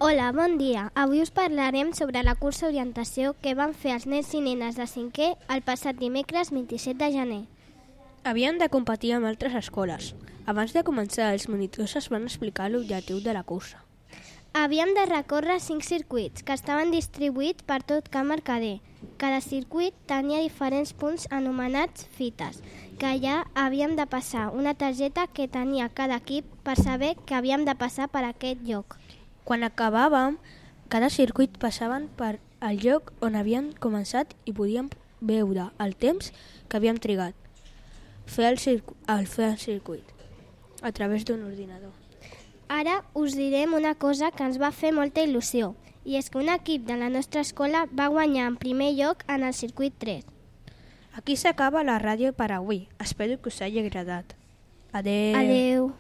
Hola, bon dia. Avui us parlarem sobre la cursa orientació que van fer els nens i nenes de 5è el passat dimecres 27 de gener. Havien de competir amb altres escoles. Abans de començar, els monitors es van explicar l'objectiu de la cursa. Havíem de recórrer 5 circuits que estaven distribuïts per tot Camp Mercader. Cada circuit tenia diferents punts anomenats fites, que allà havíem de passar una targeta que tenia cada equip per saber que havíem de passar per aquest lloc. Quan acabàvem, cada circuit passaven per el lloc on havien començat i podíem veure el temps que havíem trigat fer el circuit a través d'un ordinador. Ara us direm una cosa que ens va fer molta il·lusió, i és que un equip de la nostra escola va guanyar en primer lloc en el circuit 3. Aquí s'acaba la ràdio per avui. Espero que us hagi agradat. Adeu. Adeu.